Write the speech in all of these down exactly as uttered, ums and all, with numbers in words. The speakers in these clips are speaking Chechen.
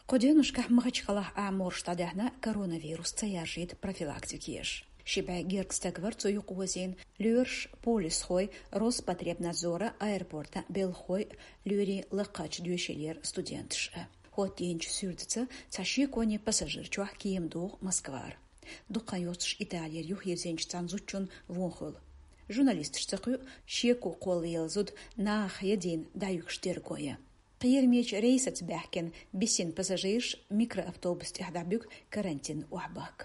Кху деннушкахь Махачкалахь Ӏаморш дӀадаьхьна коронавирус ца яржийта профилактика еш. Ши бӀе герга стаг вара цу юкъа вазийна, лоьраш, полисхой Роспотребнадзора, аэропортан белхахой, лоьрийн лакхачу доьшийлера студенташ а. ХӀоттийначу суьртаца цхьа шеконе пассажир чохь кема доху Москвара. Дукха хан йоццуш Италера юхавирзинчу цхьана зудчунна вон хуьлу. Журналисташ ца кхуьу, шеко кхоллаелла зуда нахах ядийна дӀаюьгуш дерг гой. Кхерамечу рейсаца баьхкина бисина пассажираш микроавтобус тӀехь дӀабуьгу карантин охьабахка.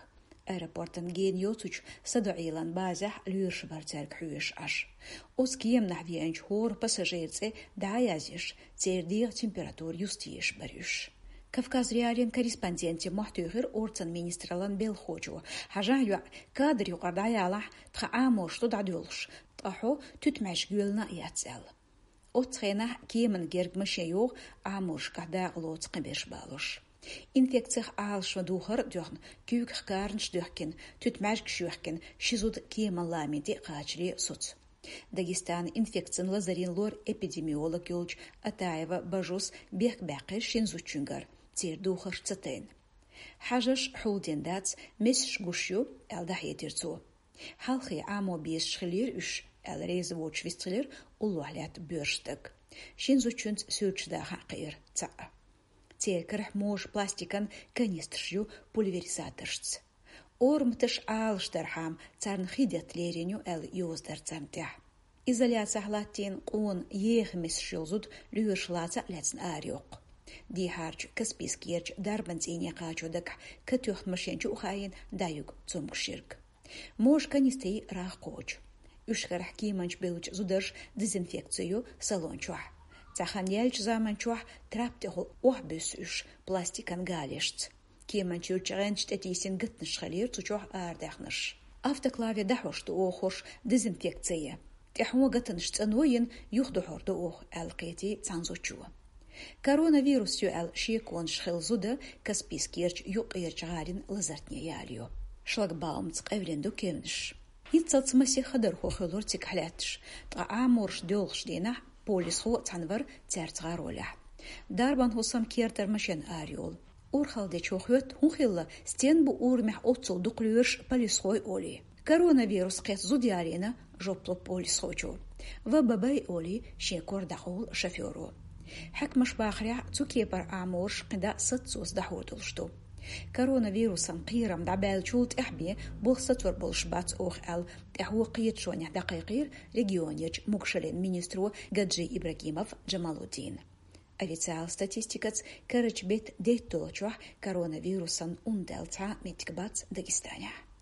Аэропортан гена йоцучу садоӀийлан базехь лоьраш бара цаьрга хьоьжуш Ӏаш. Оцу кеманахь веанчу хӀора пассажира цӀе дӀа а язъеш, церан дегӀан температура юстъеш бара уьш. Кавказ.Реалиин корреспонденте мохь туьйхира орцан министраллан белхахочо. Хьажахь йоӀ, кадр юкъара дӀаялахь, тхан Ӏаморш ду дӀадоьлхуш, ткъа хьо туьтмӀаьжга йоьллина а яц аьлла. Оццу хенахь кеманна герга машен йогӀу Ӏаморшкахь дакъа лоцу кхиберш балош. Инфекцих Ӏалашо духар а доьхна, куьйгах каранаш доьхкина, туьтмӀаьжгаш йоьхкина, ши зуда кеманна ламин тӀе а кхачале соцу. Дагестанан инфекцин лазарийн лор-эпидемиолог йолчу Атаева Бажус бехк баьккхира шина зудчуьнгара, церан духарш ца тайна. Хьажарш хьулдина дац, месаш гуш ю, аьлла дӀахьедира цо. Хьалхе Ӏамо безаш хиллера уьш, аьлла реза воцуш вистхилира уллохь лаьтта боьрша стаг. Шина зудчуьнца суьрташ даха а кхиира цхьаъ. Церан карахь можа пластикан канистраш ю пульверизаторшца. Орматаш Ӏалашдархьама царна хи детта лерина ю аьлла йоза дара царна тӀехь. Изоляцехь латтийна къона еха месаш йолу зуда лоьраш лаца а лаьцна арайоккху. Дехьарчу Каспийскерчу дарбан цӀийне кхачо дагахь катоьхна машен чу а хаийна дӀаюьгу цомгуш ерг. Можа канистрий рагӀ кхочу. Уьш карахь кеманчу бевллачу зударша дезинфекци ю салон чохь. Цхьа хан яьллачу заман чохь трап тӀехула охьабуьссу уьш пластикан галешца. Кеманчуьра чӀегӀанчу тӀетийсина гатанаш хилира цу чохь арадаьхнарш. Автоклаве дӀахьош ду оха хӀорш дезинфекци ян. ТӀаьхьо гатанаш цӀано йина, юхадохьур ду оха, аьлла кхетий цхьана зудчо. Коронавирус ю аьлла шеконаш хилла зуда Каспийскерчу юккъерчу гӀалин лазартне ялайо. Шлагбаумца къевлина ду кевнаш. ХӀинццалц масех хадархо хуьлура цигахь лаьтташ, ткъа Ӏаморш доьлхуш дийнахь полисхо а цхьаьна вара цаьрца гӀаролехь. Дарбан хӀусам кертара машен арайолу. Урхалдечо хоьтту, хӀун хилла, стен бу урамехь оццул дукха лоьраш, полисхой олий. Коронавирус кхетта зуда ялийна, жоп ло полисхочо. Ва бабай олий шен кор дӀакъовла шофёро. Хьаькамаш бахарехь, цу кепара Ӏаморш кхин дӀа саццоца дӀахьур долуш ду. Коронавирусан кхерам дӀабаьллачул тӀаьхьа бен болх сацор болуш бац оха аьлла, тӀаьхьо кхеташонехь дӀакхайкхийра регионерчу могушаллин министро Гаджи Ибрагимов Джамалуддина. Официалан статистикаца карарчу беттан дейтталгӀачохь коронавирусан ун даьлла цхьа а меттиг бац Дагестанехь.